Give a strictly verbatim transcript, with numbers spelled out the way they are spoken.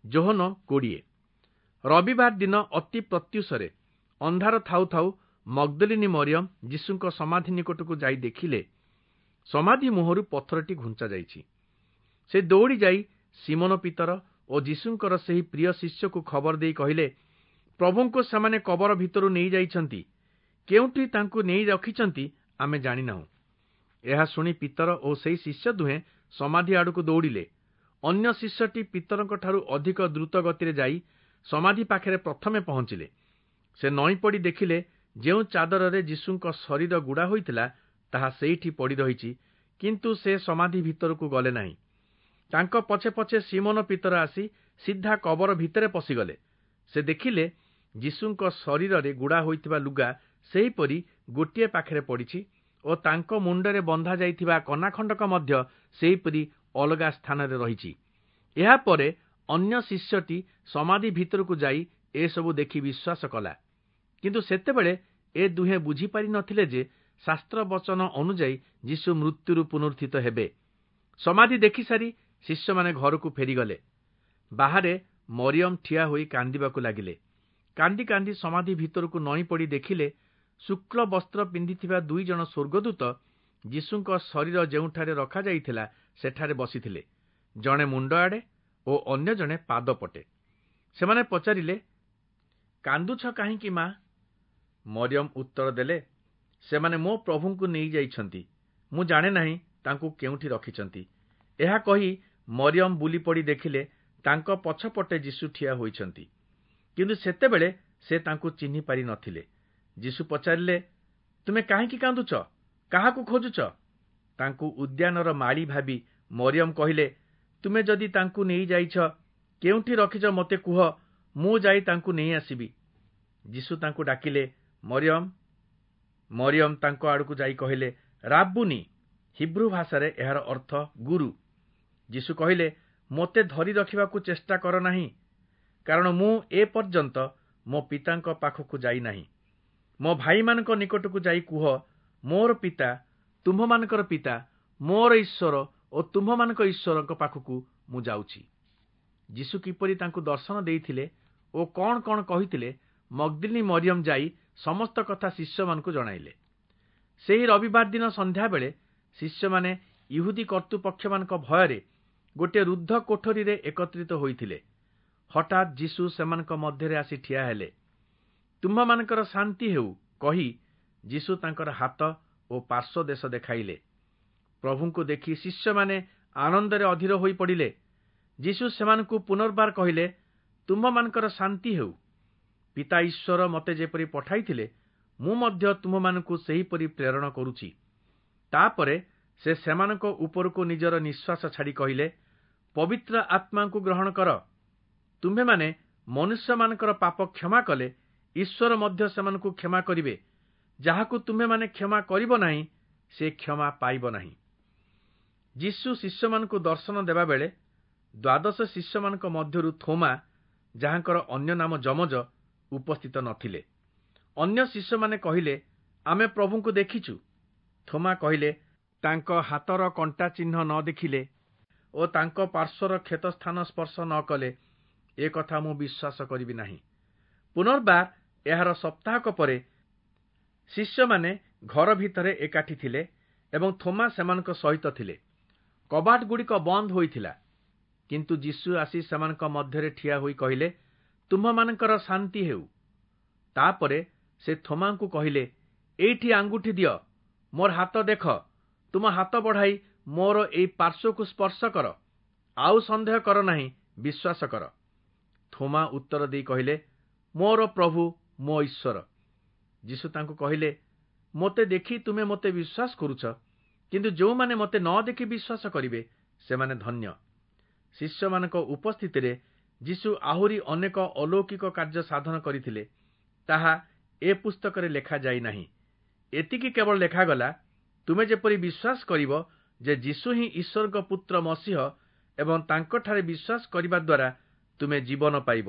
ଯୋହନ କୋଡ଼ିଏ। ରବିବାର ଦିନ ଅତି ପ୍ରତ୍ୟୁଷରେ ଅନ୍ଧାର ଥାଉ ଥାଉ ମଗ୍ଦଲିନୀ ମରିୟମ ଯୀଶୁଙ୍କ ସମାଧି ନିକଟକୁ ଯାଇ ଦେଖିଲେ, ସମାଧି ମୁହଁରୁ ପଥରଟି ଘୁଞ୍ଚା ଯାଇଛି। ସେ ଦୌଡ଼ି ଯାଇ ସିମୋନ ପିତର ଓ ଯୀଶୁଙ୍କର ସେହି ପ୍ରିୟ ଶିଷ୍ୟକୁ ଖବର ଦେଇ କହିଲେ, ପ୍ରଭୁଙ୍କୁ ସେମାନେ କବର ଭିତରୁ ନେଇଯାଇଛନ୍ତି, କେଉଁଠି ତାଙ୍କୁ ନେଇ ରଖିଛନ୍ତି ଆମେ ଜାଣିନାହୁଁ। ଏହା ଶୁଣି ପିତର ଓ ସେହି ଶିଷ୍ୟ ଦୁହେଁ ସମାଧି ଆଡ଼କୁ ଦୌଡ଼ିଲେ। ଅନ୍ୟ ଶିଷ୍ୟଟି ପିତରଙ୍କଠାରୁ ଅଧିକ ଦ୍ରୁତ ଗତିରେ ଯାଇ ସମାଧି ପାଖରେ ପ୍ରଥମେ ପହଞ୍ଚିଲେ। ସେ ନଇଁପଡ଼ି ଦେଖିଲେ, ଯେଉଁ ଚାଦରରେ ଯୀଶୁଙ୍କ ଶରୀର ଗୁଡ଼ା ହୋଇଥିଲା ତାହା ସେଇଠି ପଡ଼ି ରହିଛି, କିନ୍ତୁ ସେ ସମାଧି ଭିତରକୁ ଗଲେ ନାହିଁ। ତାଙ୍କ ପଛେ ପଛେ ସିମୋନ ପିତର ଆସି ସିଧା କବର ଭିତରେ ପଶିଗଲେ। ସେ ଦେଖିଲେ ଯୀଶୁଙ୍କ ଶରୀରରେ ଗୁଡ଼ା ହୋଇଥିବା ଲୁଗା ସେହିପରି ଗୋଟିଏ ପାଖରେ ପଡ଼ିଛି ଓ ତାଙ୍କ ମୁଣ୍ଡରେ ବନ୍ଧା ଯାଇଥିବା କନାଖଣ୍ଡକ ମଧ୍ୟ ସେହିପରି ଅଲଗା ସ୍ଥାନରେ ରହିଛି। ଏହାପରେ ଅନ୍ୟ ଶିଷ୍ୟଟି ସମାଧି ଭିତରକୁ ଯାଇ ଏସବୁ ଦେଖି ବିଶ୍ୱାସ କଲା। କିନ୍ତୁ ସେତେବେଳେ ଏ ଦୁହେଁ ବୁଝିପାରି ନଥିଲେ ଯେ ଶାସ୍ତ୍ର ବଚନ ଅନୁଯାୟୀ ଯୀଶୁ ମୃତ୍ୟୁରୁ ପୁନରୁତ୍ଥିତ ହେବେ। ସମାଧି ଦେଖିସାରି ଶିଷ୍ୟମାନେ ଘରକୁ ଫେରିଗଲେ। ବାହାରେ ମରିୟମ ଠିଆ ହୋଇ କାନ୍ଦିବାକୁ ଲାଗିଲେ। କାନ୍ଦି କାନ୍ଦି ସମାଧି ଭିତରକୁ ନଇଁ ପଡ଼ି ଦେଖିଲେ, ଶୁକ୍ଳ ବସ୍ତ୍ର ପିନ୍ଧିଥିବା ଦୁଇ ଜଣ ସ୍ୱର୍ଗଦୂତ ଯୀଶୁଙ୍କ ଶରୀର ଯେଉଁଠାରେ ରଖାଯାଇଥିଲା ସେଠାରେ ବସିଥିଲେ, ଜଣେ ମୁଣ୍ଡ ଆଡ଼େ ଓ ଅନ୍ୟ ଜଣେ ପାଦ ପଟେ। ସେମାନେ ପଚାରିଲେ, କାନ୍ଦୁଛ କାହିଁକି ମା? ମରିୟମ ଉତ୍ତର ଦେଲେ, ସେମାନେ ମୋ ପ୍ରଭୁଙ୍କୁ ନେଇଯାଇଛନ୍ତି, ମୁଁ ଜାଣେ ନାହିଁ ତାଙ୍କୁ କେଉଁଠି ରଖିଛନ୍ତି। ଏହା କହି ମରିୟମ ବୁଲିପଡ଼ି ଦେଖିଲେ ତାଙ୍କ ପଛପଟେ ଯୀଶୁ ଠିଆ ହୋଇଛନ୍ତି, କିନ୍ତୁ ସେତେବେଳେ ସେ ତାଙ୍କୁ ଚିହ୍ନି ପାରି ନଥିଲେ। ଯୀଶୁ ପଚାରିଲେ, ତୁମେ କାହିଁକି କାନ୍ଦୁଛ? କାହାକୁ ଖୋଜୁଛ? ତାଙ୍କୁ ଉଦ୍ୟାନର ମାଳି ଭାବି ମରିୟମ କହିଲେ, ତୁମେ ଯଦି ତାଙ୍କୁ ନେଇଯାଇଛ, କେଉଁଠି ରଖିଛ ମୋତେ କୁହ, ମୁଁ ଯାଇ ତାଙ୍କୁ ନେଇ ଆସିବି। ଯୀଶୁ ତାଙ୍କୁ ଡାକିଲେ, ମରିୟମ। ମରିୟମ ତାଙ୍କ ଆଡ଼କୁ ଯାଇ କହିଲେ, ରାବ୍ବୁନି। ହିବ୍ରୁ ଭାଷାରେ ଏହାର ଅର୍ଥ ଗୁରୁ। ଯୀଶୁ କହିଲେ, ମୋତେ ଧରି ରଖିବାକୁ ଚେଷ୍ଟା କର ନାହିଁ, କାରଣ ମୁଁ ଏ ପର୍ଯ୍ୟନ୍ତ ମୋ ପିତାଙ୍କ ପାଖକୁ ଯାଇନାହିଁ। ମୋ ଭାଇମାନଙ୍କ ନିକଟକୁ ଯାଇ କୁହ, ମୋର ପିତା ତୁମ୍ଭମାନଙ୍କର ପିତା, ମୋର ଈଶ୍ୱର ଓ ତୁମ୍ଭମାନଙ୍କ ଈଶ୍ୱରଙ୍କ ପାଖକୁ ମୁଁ ଯାଉଛି। ଯୀଶୁ କିପରି ତାଙ୍କୁ ଦର୍ଶନ ଦେଇଥିଲେ ଓ କ'ଣ କ'ଣ କହିଥିଲେ, ମଗ୍ଦଲିନୀ ମରିୟମ ଯାଇ ସମସ୍ତ କଥା ଶିଷ୍ୟମାନଙ୍କୁ ଜଣାଇଲେ। ସେହି ରବିବାର ଦିନ ସନ୍ଧ୍ୟାବେଳେ ଶିଷ୍ୟମାନେ ଇହୁଦୀ କର୍ତ୍ତୃପକ୍ଷମାନଙ୍କ ଭୟରେ ଗୋଟିଏ ରୁଦ୍ଧ କୋଠରୀରେ ଏକତ୍ରିତ ହୋଇଥିଲେ। ହଠାତ୍ ଯୀଶୁ ସେମାନଙ୍କ ମଧ୍ୟରେ ଆସି ଠିଆ ହେଲେ। ତୁମ୍ଭମାନଙ୍କର ଶାନ୍ତି ହେଉ କହି ଯୀଶୁ ତାଙ୍କର ହାତ ଓ ପାର୍ଶ୍ୱ ଦେଶ ଦେଖାଇଲେ। ପ୍ରଭୁଙ୍କୁ ଦେଖି ଶିଷ୍ୟମାନେ ଆନନ୍ଦରେ ଅଧୀର ହୋଇପଡ଼ିଲେ। ଯୀଶୁ ସେମାନଙ୍କୁ ପୁନର୍ବାର କହିଲେ, ତୁମ୍ଭମାନଙ୍କର ଶାନ୍ତି ହେଉ। ପିତା ଈଶ୍ୱର ମୋତେ ଯେପରି ପଠାଇଥିଲେ, ମୁଁ ମଧ୍ୟ ତୁମ୍ଭମାନଙ୍କୁ ସେହିପରି ପ୍ରେରଣ କରୁଛି। ତାପରେ ସେ ସେମାନଙ୍କ ଉପରକୁ ନିଜର ନିଃଶ୍ୱାସ ଛାଡ଼ି କହିଲେ, ପବିତ୍ର ଆତ୍ମାଙ୍କୁ ଗ୍ରହଣ କର। ତୁମ୍ଭେମାନେ ମନୁଷ୍ୟମାନଙ୍କର ପାପ କ୍ଷମା କଲେ ଈଶ୍ୱର ମଧ୍ୟ ସେମାନଙ୍କୁ କ୍ଷମା କରିବେ। ଯାହାକୁ ତୁମ୍ଭେମାନେ କ୍ଷମା କରିବ ନାହିଁ, ସେ କ୍ଷମା ପାଇବ ନାହିଁ। ଯୀଶୁ ଶିଷ୍ୟମାନଙ୍କୁ ଦର୍ଶନ ଦେବାବେଳେ ଦ୍ୱାଦଶ ଶିଷ୍ୟମାନଙ୍କ ମଧ୍ୟରୁ ଥୋମା, ଯାହାଙ୍କର ଅନ୍ୟ ନାମ ଯମଜ, ଉପସ୍ଥିତ ନଥିଲେ। ଅନ୍ୟ ଶିଷ୍ୟମାନେ କହିଲେ, ଆମେ ପ୍ରଭୁଙ୍କୁ ଦେଖିଛୁ। ଥୋମା କହିଲେ, ତାଙ୍କ ହାତର କଣ୍ଟା ଚିହ୍ନ ନ ଦେଖିଲେ ଓ ତାଙ୍କ ପାର୍ଶ୍ୱର କ୍ଷତସ୍ଥାନ ସ୍ପର୍ଶ ନ କଲେ ଏ କଥା ମୁଁ ବିଶ୍ୱାସ କରିବି ନାହିଁ। ପୁନର୍ବାର ଏହାର ସପ୍ତାହକ ପରେ ଶିଷ୍ୟମାନେ ଘର ଭିତରେ ଏକାଠି ଥିଲେ ଏବଂ ଥୋମା ସେମାନଙ୍କ ସହିତ ଥିଲେ। କବାଟଗୁଡ଼ିକ ବନ୍ଦ ହୋଇଥିଲା, କିନ୍ତୁ ଯୀଶୁ ଆସି ସେମାନଙ୍କ ମଧ୍ୟରେ ଠିଆ ହୋଇ କହିଲେ, ତୁମ୍ଭମାନଙ୍କର ଶାନ୍ତି ହେଉ। ତାପରେ ସେ ଥୋମାଙ୍କୁ କହିଲେ, ଏଇଠି ଆଙ୍ଗୁଠି ଦିଅ, ମୋର ହାତ ଦେଖ, ତୁମ ହାତ ବଢ଼ାଇ ମୋର ଏଇ ପାର୍ଶ୍ୱକୁ ସ୍ପର୍ଶ କର, ଆଉ ସନ୍ଦେହ କର ନାହିଁ, ବିଶ୍ୱାସ କର। ଥୋମା ଉତ୍ତର ଦେଇ କହିଲେ, ମୋର ପ୍ରଭୁ, ମୋ ଈଶ୍ୱର। ଯୀଶୁ ତାଙ୍କୁ କହିଲେ, ମୋତେ ଦେଖି ତୁମେ ମୋତେ ବିଶ୍ୱାସ କରୁଛ, କିନ୍ତୁ ଯେଉଁମାନେ ମୋତେ ନ ଦେଖି ବିଶ୍ୱାସ କରିବେ ସେମାନେ ଧନ୍ୟ। ଶିଷ୍ୟମାନଙ୍କ ଉପସ୍ଥିତିରେ ଯୀଶୁ ଆହୁରି ଅନେକ ଅଲୌକିକ କାର୍ଯ୍ୟ ସାଧନ କରିଥିଲେ, ତାହା ଏ ପୁସ୍ତକରେ ଲେଖାଯାଇ ନାହିଁ। ଏତିକି କେବଳ ଲେଖାଗଲା, ତୁମେ ଯେପରି ବିଶ୍ୱାସ କରିବ ଯେ ଯୀଶୁ ହିଁ ଈଶ୍ୱରଙ୍କ ପୁତ୍ର ମସିହ ଏବଂ ତାଙ୍କଠାରେ ବିଶ୍ୱାସ କରିବା ଦ୍ୱାରା ତୁମେ ଜୀବନ ପାଇବ।